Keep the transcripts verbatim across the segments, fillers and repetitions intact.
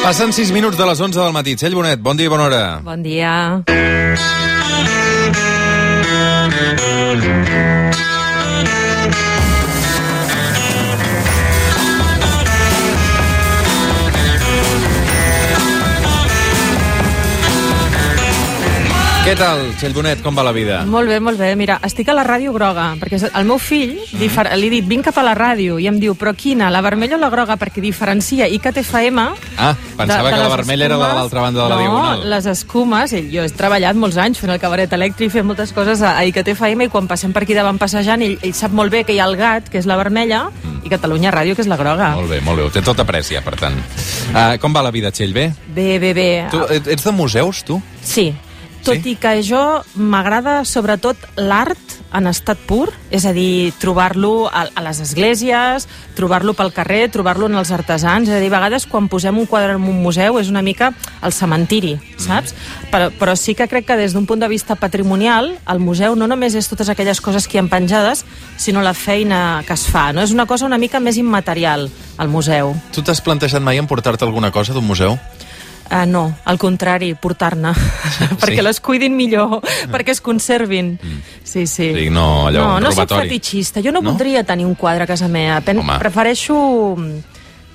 Passen sis minuts de les onze del matí. Txell Bonet, bon dia i bona hora. Bon dia. Què tal, Txell Bonet, com va la vida? Molt bé, molt bé. Mira, estic a la ràdio groga, perquè el meu fill, mm. li he dit, vinc cap a la ràdio, i em diu, però quina, la vermella o la groga? Perquè diferencia I C T F M... Ah, pensava de, de que la vermella escumes, era la de l'altra banda de la no, diagonal. No, les escumes, jo he treballat molts anys fent el cabaret elèctric, fent moltes coses a I C T F M, i quan passem per aquí davant passejant, ell, ell sap molt bé que hi ha el gat, que és la vermella, mm. i Catalunya Ràdio, que és la groga. Molt bé, molt bé, ho té tot apreciat, per tant. Uh, com va la vida, Txell, bé? Bé, bé, bé. Tu ets de museus, tu? Sí. Tot sí? I que jo m'agrada sobretot l'art en estat pur, és a dir, trobar-lo a, a les esglésies, trobar-lo pel carrer, trobar-lo en els artesans, és a dir, a vegades quan posem un quadre en un museu és una mica el cementiri, saps? Mm. Però, però sí que crec que des d'un punt de vista patrimonial, el museu no només és totes aquelles coses que hi ha penjades, sinó la feina que es fa, no? És una cosa una mica més immaterial, el museu. Tu t'has plantejat mai emportar-te alguna cosa d'un museu? Uh, no, al contrari, portar-ne, perquè sí. les cuidin millor, mm. perquè es conservin. Mm. Sí, sí. sí no, allò, no, un no robatori. soc fetichista, jo no, no voldria tenir un quadre a casa meva. Pen Home. Prefereixo...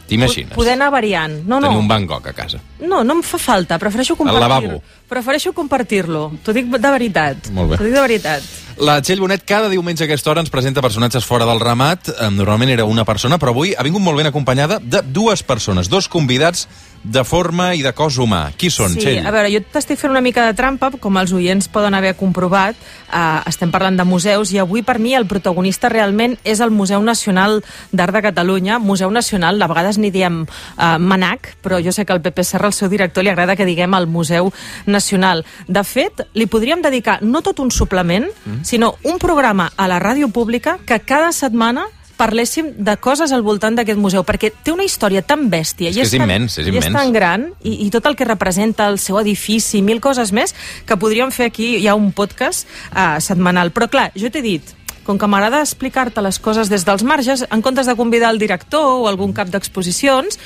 T'imagines? Poder anar variant. No, no. Tenir un Van Gogh a casa. No, no em fa falta, prefereixo compartir-lo. Al lavabo. Prefereixo compartir-lo, t'ho dic de veritat. Molt bé. T'ho dic de veritat. La Txell Bonet cada diumenge a aquesta hora ens presenta personatges fora del ramat. Normalment era una persona, però avui ha vingut molt ben acompanyada de dues persones, dos convidats de forma i de cos humà. Qui són, sí, Txell? A veure, jo t'estic fent una mica de trampa, com els oients poden haver comprovat. Uh, estem parlant de museus, i avui per mi el protagonista realment és el Museu Nacional d'Art de Catalunya. Museu Nacional, a vegades n'hi diem uh, MANAC, però jo sé que al Pepe Serra, el seu director, li agrada que diguem el Museu Nacional. De fet, li podríem dedicar no tot un suplement, mm. sinó un programa a la ràdio pública que cada setmana parléssim de coses al voltant d'aquest museu, perquè té una història tan bèstia és i és, és tan, immens, és i immens. és tan gran, i, i tot el que representa el seu edifici, mil coses més, que podríem fer aquí, hi ha un podcast uh, setmanal. Però clar, jo t'he dit, com que m'agrada explicar-te les coses des dels marges, en comptes de convidar el director o algun cap d'exposicions,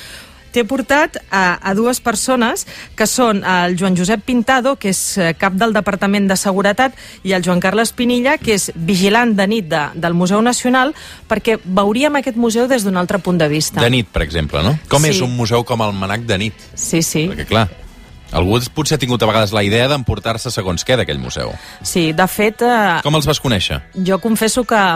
t'he portat a, a dues persones que són el Joan Josep Pintado, que és cap del Departament de Seguretat, i el Joan Carles Pinilla, que és vigilant de nit de, del Museu Nacional, perquè veuríem aquest museu des d'un altre punt de vista. De nit, per exemple, no? Com sí. és un museu com el MANAC de nit? Sí, sí. Perquè, clar, algú potser ha tingut a vegades la idea d'emportar-se segons què d'aquell museu. Sí, de fet... Eh, com els vas conèixer? Jo confesso que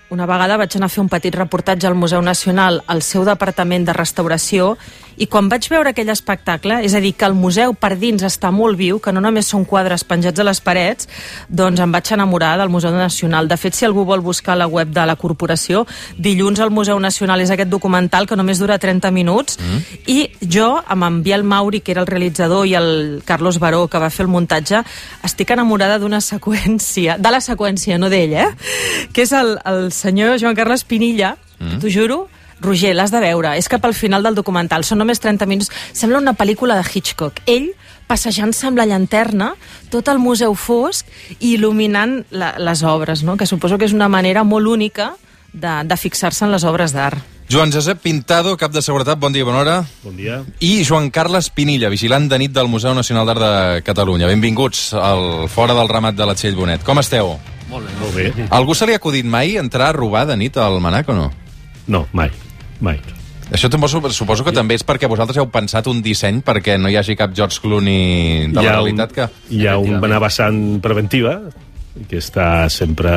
una vegada vaig anar a fer un petit reportatge al Museu Nacional, al seu departament de restauració, i quan vaig veure aquell espectacle, és a dir, que el museu per dins està molt viu, que no només són quadres penjats a les parets, doncs em vaig enamorar del Museu Nacional. De fet, si algú vol buscar a la web de la corporació, Dilluns al Museu Nacional és aquest documental que només dura trenta minuts, mm. i jo, amb en Biel Mauri, que era el realitzador, i el Carlos Baró, que va fer el muntatge, estic enamorada d'una seqüència, de la seqüència, no d'ell, eh? Que és el, el senyor Joan Carles Pinilla, mm. t'ho juro, Roger, l'has de veure, és cap al final del documental, són només trenta minuts, sembla una pel·lícula de Hitchcock. Ell passejant-se amb la llanterna, tot el museu fosc, i il·luminant la, les obres, no? Que suposo que és una manera molt única de, de fixar-se en les obres d'art. Joan Josep Pintado, cap de seguretat, bon dia, bona hora. Bon dia. I Joan Carles Pinilla, vigilant de nit del Museu Nacional d'Art de Catalunya. Benvinguts al Fora del Ramat de la Txell Bonet. Com esteu? Molt bé. Molt bé. Algú se li ha acudit mai entrar a robar de nit al MANAC o no? No, mai. Mai. Això suposo que també és perquè vosaltres heu pensat un disseny perquè no hi hagi cap George Clooney de la realitat que... Hi ha una vessant preventiva que està sempre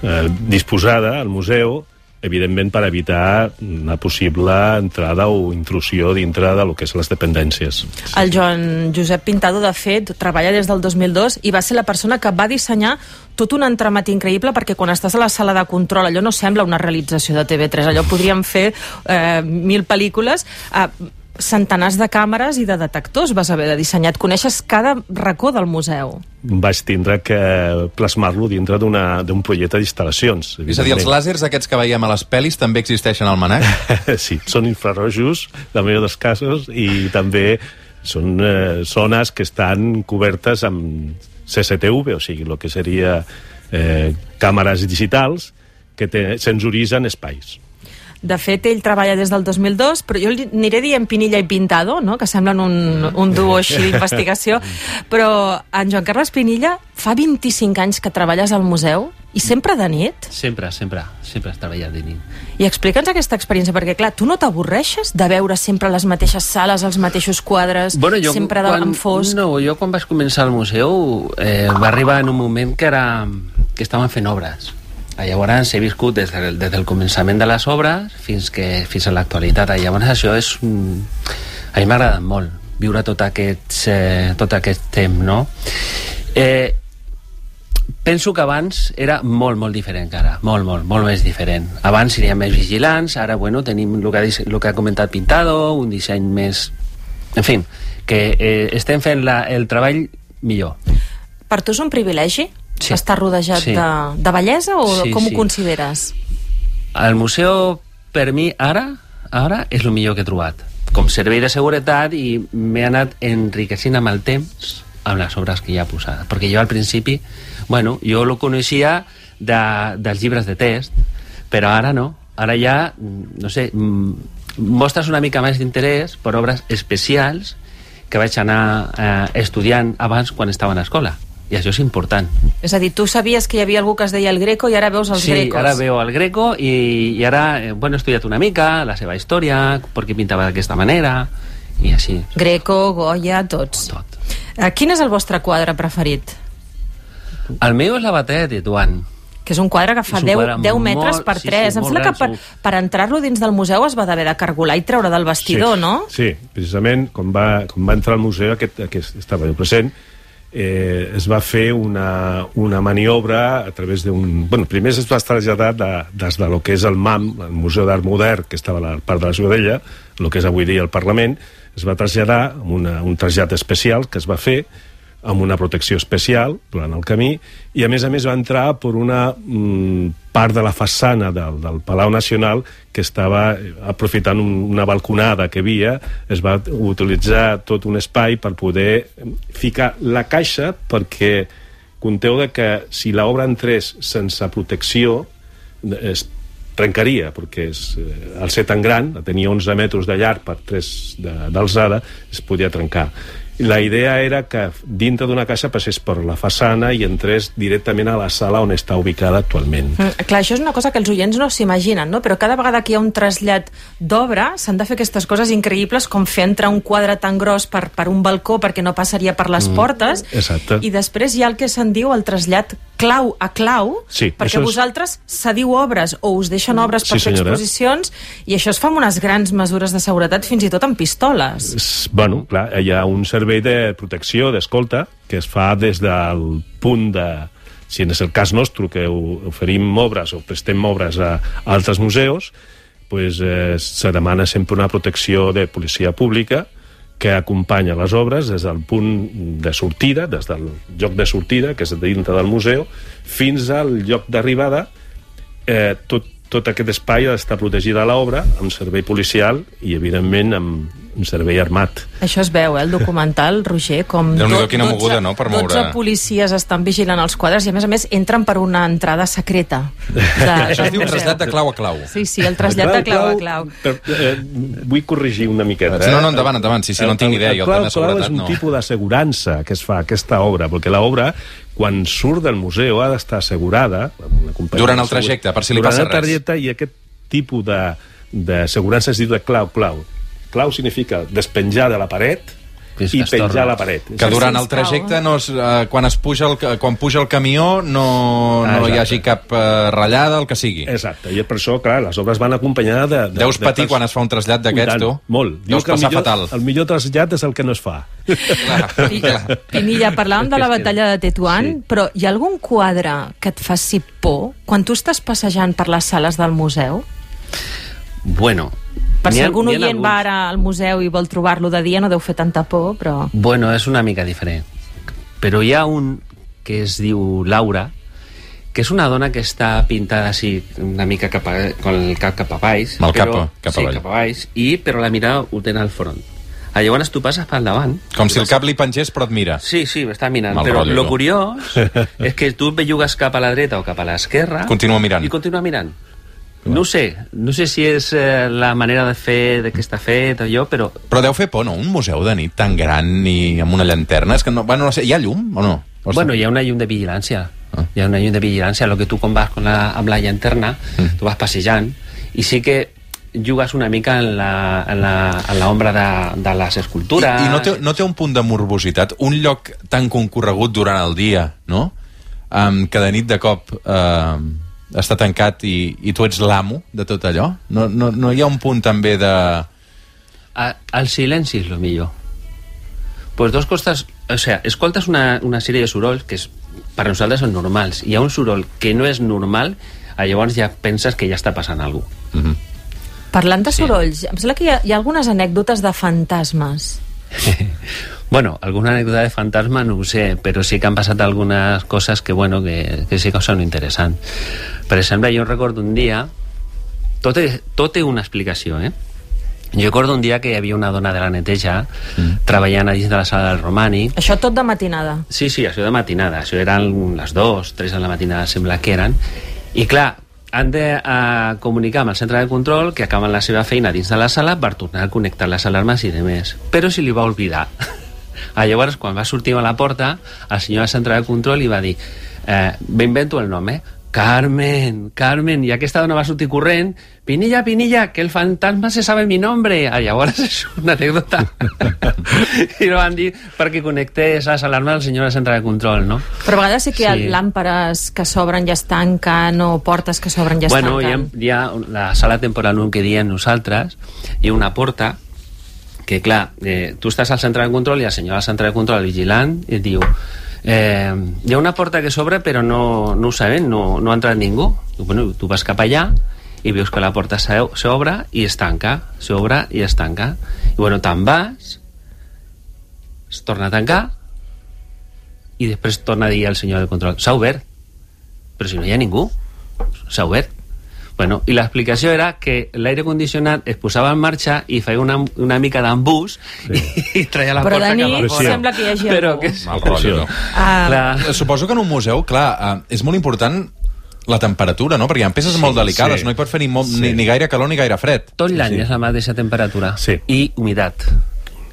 eh, disposada al museu, evidentment per evitar una possible entrada o intrusió dintre de lo que és les dependències. El Joan Josep Pintado, de fet, treballa des del dos mil dos i va ser la persona que va dissenyar tot un entramat increïble, perquè quan estàs a la sala de control allò no sembla una realització de T V tres, allò podríem fer eh, mil pel·lícules, eh, centenars de càmeres i de detectors vas haver de dissenyar. Et coneixes cada racó del museu. Vaig tindre que plasmar-lo dintre d'un projecte d'instal·lacions. És a dir, els làsers aquests que veiem a les pel·lis també existeixen al MANAC? Sí, són infrarrojos, la majoria dels casos, i també són eh, zones que estan cobertes amb C C T V, o sigui, el que seria eh, càmeres digitals que te, sensoritzen espais. De fet, ell treballa des del dos mil dos, però jo li aniré dient Pinilla i Pintado, no? Que semblen un, un duo així d'investigació, però en Joan Carles Pinilla fa vint-i-cinc anys que treballes al museu i sempre de nit? Sempre, sempre, sempre has treballat de nit. I explica'ns aquesta experiència, perquè clar, tu no t'avorreixes de veure sempre les mateixes sales, els mateixos quadres, bueno, jo, sempre quan, en fosc? No, jo quan vaig començar al museu eh, va arribar en un moment que era que estaven fent obres. Llavors he viscut des del, des del començament de les obres fins, que, fins a l'actualitat. Llavors això és... Un... A mi m'ha agradat molt viure tot aquest, eh, tot aquest temps, no? Eh, penso que abans era molt, molt diferent que ara. Molt, molt, molt més diferent. Abans seríem més vigilants, ara, bueno, tenim el que, el que ha comentat Pintado, un disseny més... En fi, que eh, estem fent la, el treball millor. Per tu és un privilegi? Sí. Està rodejat sí. de, de bellesa o sí, com sí. ho consideres? El museu, per mi, ara, ara és el millor que he trobat. Com servei de seguretat, i m'he anat enriquecint amb el temps amb les obres que hi ha posades. Perquè jo al principi, bueno, jo lo coneixia de, dels llibres de text, però ara no. Ara ja, no sé, mostres una mica més d'interès per obres especials que vaig anar eh, estudiant abans quan estava a l'escola. I això és important. És a dir, tu sabies que hi havia algú que es deia el Greco i ara veus els sí, Grecos. Sí, ara veu el Greco i, i ara eh, bueno, he estudiat una mica la seva història, per què pintava d'aquesta manera i així. Greco, Goya, tots. Tot. Uh, quin és el vostre quadre preferit? El meu és la batalla de Tetuan. Que és un quadre que fa deu metres per tres. Sí, sí, em sembla que per, per entrar-lo dins del museu es va haver de cargolar i treure del vestidor, sí, no? Sí, precisament, quan va, quan va entrar al museu, aquest, aquest estava jo present, eh, es va fer una, una maniobra a través d'un... Bueno, primer es va traslladar de, des de lo que és el M A M, el Museu d'Art Modern, que estava a la part de la Ciutadella, el que és avui dia el Parlament, es va traslladar amb una, un trasllat especial que es va fer amb una protecció especial durant el camí, i a més a més va entrar per una mm, part de la façana del, del Palau Nacional que estava aprofitant un, una balconada que havia, es va utilitzar tot un espai per poder ficar la caixa, perquè conteu de que si l'obra entrés sense protecció es trencaria, perquè és, eh, al ser tan gran, tenia onze metres de llarg per tres d'alçada, es podia trencar. La idea era que dintre d'una caixa passés per la façana i entrés directament a la sala on està ubicada actualment. Mm, clar, això és una cosa que els oients no s'imaginen, no? Però cada vegada que hi ha un trasllat d'obra s'han de fer aquestes coses increïbles com fer entrar un quadre tan gros per, per un balcó perquè no passaria per les mm, portes. Exacte. I després hi ha el que se'n diu el trasllat clau a clau, sí, perquè és... vosaltres cediu obres o us deixen obres per sí, fer senyora. exposicions, i això es fa amb unes grans mesures de seguretat, fins i tot amb pistoles. Bueno, clar, hi ha un servei de protecció, d'escolta, que es fa des del punt de... Si és el cas nostre, que oferim obres o prestem obres a altres museus, pues, eh, se demana sempre una protecció de policia pública que acompanya les obres des del punt de sortida, des del lloc de sortida, que és dintre del museu, fins al lloc d'arribada. Eh, tot, tot aquest espai ha d'estar protegida a l'obra amb servei policial i, evidentment, amb un servei armat. Això es veu, eh, el documental, Roger, com Déu-n'hi-do, quina moguda, no?, per moure... dotze policies estan vigilant els quadres i, a més a més, entren per una entrada secreta. De, Això es diu trasllat de clau a clau. Sí, sí, el trasllat de clau a clau. Per, eh, vull corregir una miqueta. Eh? No, no, endavant, endavant. Sí, sí, no en tinc idea. El, el, el, el clau, clau és un no. tipus d'assegurança que es fa aquesta obra, perquè l'obra, quan surt del museu, ha d'estar assegurada. Durant el trajecte, per si li passa res. Durant el trajecte, i aquest tipus d'assegurança es diu de clau-clau. Clau significa despenjar de la paret i penjar a la paret. Que durant el trajecte, no es, eh, quan, es puja el, quan puja el camió, no, no hi hagi cap eh, ratllada, el que sigui. Exacte, i per això, clar, les obres van acompanyades de... de Deus de patir de quan es fa un trasllat d'aquests, tu? Molt. Deus passar millor, fatal. El millor trasllat és el que no es fa. Clar, clar. Pinilla, parlàvem de la batalla de Tetuan, sí. Però hi ha algun quadre que et faci por quan tu estàs passejant per les sales del museu? Bueno... Per si ha, algun oient alguns... va ara al museu i vol trobar-lo de dia, no deu fer tanta por, però... Bueno, és una mica diferent. Però hi ha un que es diu Laura, que és una dona que està pintada així, una mica cap a, con el cap cap a baix. Amb el cap, però, cap a sí, baix. cap a baix, i, però la mirada ho tenen al front. Llavors tu passes pel davant. Com si el cap li pengés, però et mira. Sí, sí, està mirant. Mal però rotllo, lo curiós és que tu bellugues cap a la dreta o cap a l'esquerra... Continua mirant. I continua mirant. No ho sé, no sé si és eh, la manera de fer, de què està fet, allò, però... Però deu fer por, no? Un museu de nit tan gran i amb una llanterna. És que no, bueno, no sé, hi ha llum o no? O bueno, hi ha una llum de vigilància. Ah. Hi ha una llum de vigilància. Lo que tu, quan vas con la, amb la llanterna, mm. tu vas passejant, i sí que jugues una mica en la, en la, en la ombra de, de les escultures. I, i no, té, no té un punt de morbositat? Un lloc tan concorregut durant el dia, no? Um, que de nit de cop uh, està tancat i, i tu ets l'amo de tot allò? No, no, no hi ha un punt també de... A, el silenci és el millor. Pues dos costes... O sea, escoltes una, una sèrie de sorolls que és, per nosaltres són normals. Hi ha un soroll que no és normal, llavors ja penses que ja està passant alguna cosa. Mm-hmm. Parlant de sorolls, sí. Em sembla que hi ha, hi ha algunes anècdotes de fantasmes. Bueno, alguna anècdota de fantasma no ho sé, però sí que han passat algunes coses que, bueno, que, que sí que són interessants. Per exemple, jo recordo un dia... Tot, és, tot té una explicació, eh? Jo recordo un dia que hi havia una dona de la neteja mm. treballant a dins de la sala del Romànic. Això tot de matinada? Sí, sí, això de matinada. Això eren les dues, tres de la matinada, sembla que eren. I clar, han de uh, comunicar amb el centre de control que acaben la seva feina dins de la sala per tornar a connectar les alarmes i demés. Però si li va oblidar. Llavors, quan va sortir a la porta, el senyor del centre de control li va dir eh, m'invento el nom, eh? Carmen, Carmen, i aquesta dona va sortir corrent, Pinilla, Pinilla, que el fantasma se sabe mi nombre. Ah, llavors és una anècdota. I no van dir perquè connectés les alarmes al senyor del centre de control, no? Però a vegades sí que hi ha sí. làmperes que s'obren i es tanquen, o portes que s'obren i es bueno, tanquen. Bueno, hi, hi ha la sala temporal un que diem nosaltres, hi ha una porta que, clar, eh, tu estàs al centre de control i el senyor del centre de control vigilant i et diu Eh, hi ha una porta que s'obre però no, no ho sabem, no, no ha entrat ningú. Bueno, tu vas cap allà i veus que la porta s'obre i es tanca, s'obre i es tanca, i bueno, te'n vas, es torna a tancar i després torna a dir al senyor del control s'ha obert, però si no hi ha ningú, s'ha obert. Bueno, i l'explicació era que l'aire condicionat es posava en marxa i feia una, una mica d'embús sí. i, i traia la però porta cap a fora. Però sembla que hi hagi però algú. Que... Mal rotllo, no? Uh... Suposo que en un museu, clar, uh, és molt important la temperatura, no? Perquè hi ha peces sí, molt delicades, sí. no hi pot fer ni, molt, sí. ni, ni gaire calor ni gaire fred. Tot l'any sí. és la mateixa temperatura. Sí. I humitat.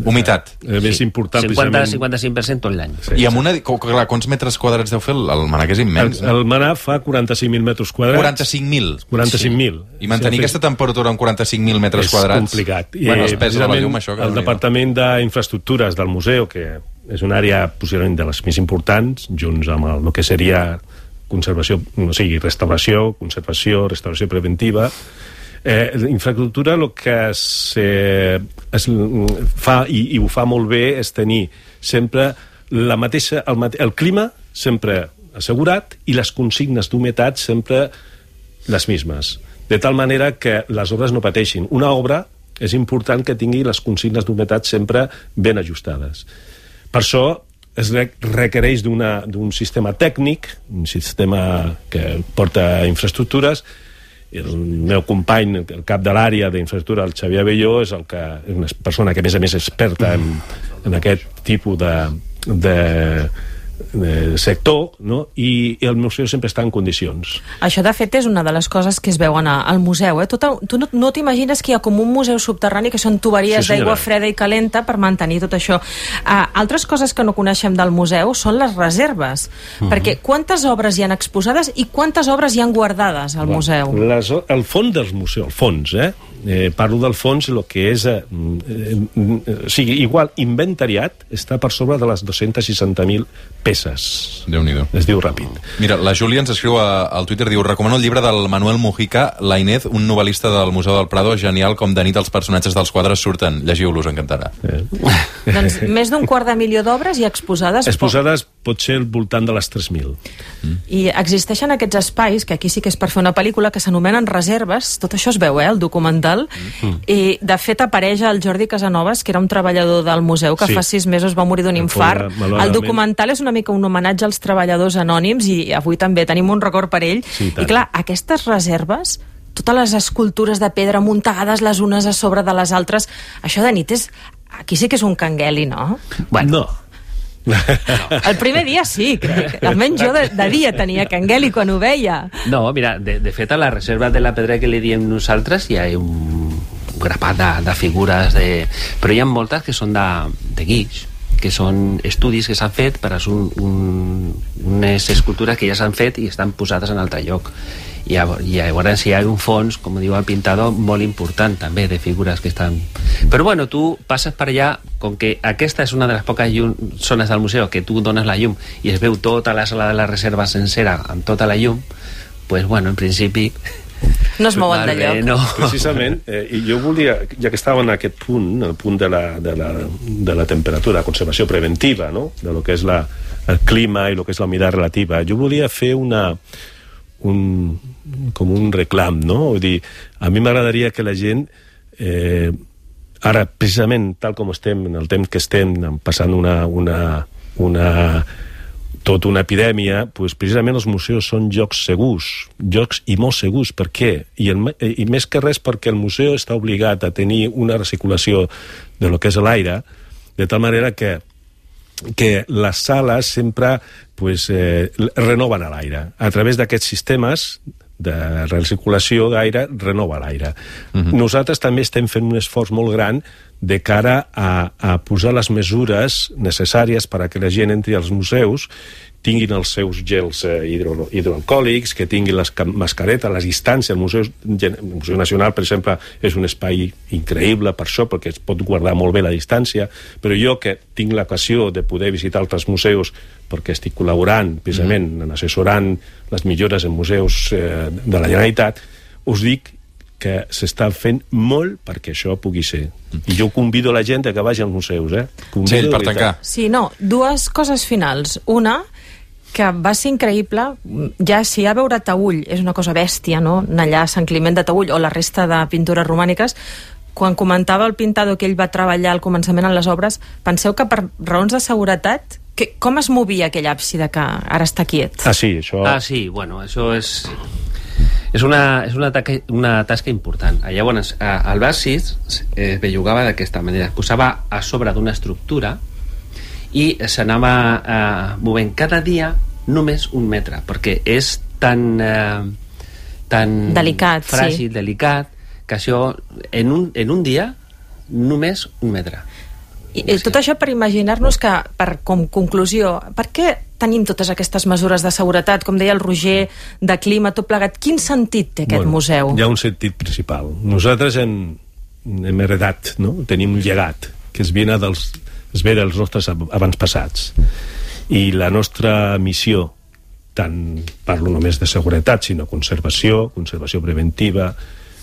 Humitat. Eh, més sí. important, cinquanta a cinquanta-cinc per cent tot l'any. Sí, I amb una... Clar, quants metres quadrats deu fer? El, el Manà, que és immens. El, el Manà fa quaranta-cinc mil metres quadrats. quaranta-cinc mil? quaranta-cinc mil. Sí. I mantenir sí, aquesta temperatura amb quaranta-cinc mil metres és quadrats... És complicat. I, bueno, es pesa la llum, això. Que el Departament d'Infraestructures del museu, que és una àrea possiblement de les més importants, junts amb el, el que seria conservació, o sigui, restauració, conservació, restauració preventiva... Eh, infraestructura el que es, eh, es fa i, i ho fa molt bé és tenir sempre la mateixa, el, mate, el clima sempre assegurat i les consignes d'humitat sempre les mismes, de tal manera que les obres no pateixin. Una obra és important que tingui les consignes d'humitat sempre ben ajustades. Per això es requereix d'un sistema tècnic, un sistema que porta infraestructures. El meu company, el cap de l'àrea d'infraestructura, el Xavier Abelló, és el que és una persona que a més a més és experta en, en aquest tipus de, de, de sector, no? I, i el museu sempre està en condicions. Això, de fet, és una de les coses que es veuen al museu. Eh? Tot, tu no, no t'imagines que hi ha com un museu subterrani que són tuberies sí, d'aigua freda i calenta per mantenir tot això. Uh, altres coses que no coneixem del museu són les reserves. Uh-huh. Perquè quantes obres hi han exposades i quantes obres hi han guardades al bueno, museu? Les, el fons del museu, el fons, eh? Eh, parlo del fons, el que és eh, eh, eh, o sigui, igual inventariat està per sobre de les dos-centes seixanta mil peces. Déu-n'hi-do. Es diu ràpid. Mira, la Júlia ens escriu a, al Twitter, diu: recomano el llibre del Manuel Mujica, La Inés, un novel·lista del Museu del Prado, genial, com de nit els personatges dels quadres surten. Llegiu-los, encantarà. Eh. Doncs més d'un quart de milió d'obres i exposades... Exposades pot ser al voltant de les tres mil. Mm. I existeixen aquests espais, que aquí sí que és per fer una pel·lícula, que s'anomenen reserves. Tot això es veu, eh, el documental. Mm. I, de fet, apareix el Jordi Casanovas, que era un treballador del museu, que sí. fa sis mesos va morir d'un infart. El documental és una mica un homenatge als treballadors anònims i avui també tenim un record per ell. Sí, i clar, aquestes reserves, totes les escultures de pedra muntades les unes a sobre de les altres, això de nit és... Aquí sí que és un cangueli, no? Bueno, no. El primer dia sí, crec. Almenys jo de, de dia tenia canguel i quan ho veia. No, mira, de, de fet a la reserva de la Pedra que li diem nosaltres hi ha un grapat de, de figures de... però hi ha moltes que són de, de guix, que són estudis que s'han fet per a un, un, unes escultures que ja s'han fet i estan posades en altre lloc. I llavors hi ha un fons, com diu el pintador, molt important també de figures que estan... Però bueno, tu passes per allà, com que aquesta és una de les poques llum, zones del museu que tu dones la llum i es veu tota la sala de la reserva sencera amb tota la llum, pues bueno, en principi... No es mouen de lloc. No. Precisament, eh, i jo volia, ja que estava en aquest punt, el punt de la, de la, de la temperatura, la conservació preventiva, no? De lo que és la, el clima i lo que és la humida relativa, jo volia fer una, un, com un reclam, no? Vull dir, a mi m'agradaria que la gent, eh, ara, precisament, tal com estem, en el temps que estem, passant una... una, una tota una epidèmia, doncs precisament els museus són llocs segurs, llocs i molt segurs. Per què? I, el, i més que res perquè el museu està obligat a tenir una recirculació de lo que és l'aire, de tal manera que, que les sales sempre pues, eh, renoven l'aire. A través d'aquests sistemes de recirculació d'aire, renova l'aire. Uh-huh. Nosaltres també estem fent un esforç molt gran de cara a, a posar les mesures necessàries per a que la gent entri als museus, tinguin els seus gels eh, hidro, hidroalcohòlics, que tinguin les mascaretes, les distàncies. El Museu, el Museu Nacional, per exemple, és un espai increïble per això, perquè es pot guardar molt bé la distància, però jo que tinc l'ocasió de poder visitar altres museus perquè estic col·laborant, precisament, mm. en assessorant les millores en museus eh, de la Generalitat, us dic que s'està fent molt perquè això pugui ser. I jo convido la gent a que vagi als museus, eh? Convido, sí, per tancar. Sí, no, dues coses finals. Una, que va ser increïble, ja si a veure Taüll és una cosa bèstia, no? Allà a Sant Climent de Taüll o la resta de pintures romàniques, quan comentava el pintador que ell va treballar al començament en les obres, penseu que per raons de seguretat, que, com es movia aquell àpside que ara està quiet? Ah, sí, això... Ah, sí, bueno, això és... És una, és una, tasca, una tasca important. Llavors, el absis es bellugava d'aquesta manera. Es posava a sobre d'una estructura i s'anava eh, movent cada dia només un metre, perquè és tan, eh, tan delicat, fràgil, sí. delicat, que això en un, en un dia només un metre. I, i tot això per imaginar-nos que, per, com conclusió, per què tenim totes aquestes mesures de seguretat, com deia el Roger, de clima, tot plegat? Quin sentit té aquest bueno, museu? Hi ha un sentit principal. Nosaltres hem, hem heredat, no? Tenim un llegat que es ve dels, es ve dels nostres avantpassats. I la nostra missió, tant parlo només de seguretat, sinó conservació, conservació preventiva,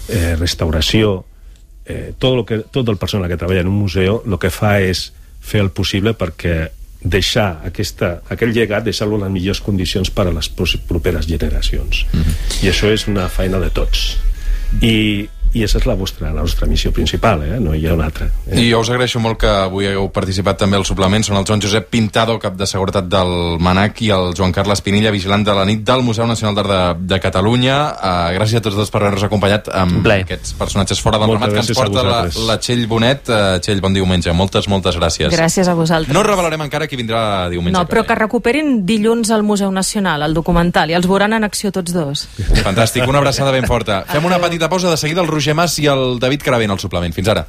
eh, restauració, eh, tot, lo que, tot el personal que treballa en un museu el que fa és fer el possible perquè deixar aquesta, aquell llegat, deixar-lo en les millors condicions per a les properes generacions. Mm-hmm. I això és una feina de tots. I, i aquesta és la, vostra, la nostra missió principal, eh? No hi ha una altra. Eh? I jo us agraeixo molt que avui hagueu participat també al suplement. Són el Joan Josep Pintado, cap de seguretat del MANAC, i el Joan Carles Pinilla, vigilant de la nit del Museu Nacional d'Art de, de Catalunya. Uh, gràcies a tots dos per haver-nos acompanyat amb Blai. Aquests personatges fora del ramat que ens porta la, la Txell Bonet. Uh, Txell, bon diumenge. Moltes, moltes gràcies. Gràcies a vosaltres. No revelarem encara qui vindrà diumenge. No, però que recuperin dilluns al Museu Nacional, el documental, i els veuran en acció tots dos. Fantàstic, una abraçada ben forta. Fem una petita pausa, de seguida el Roger Mas i el David Caravent al suplement. Fins ara.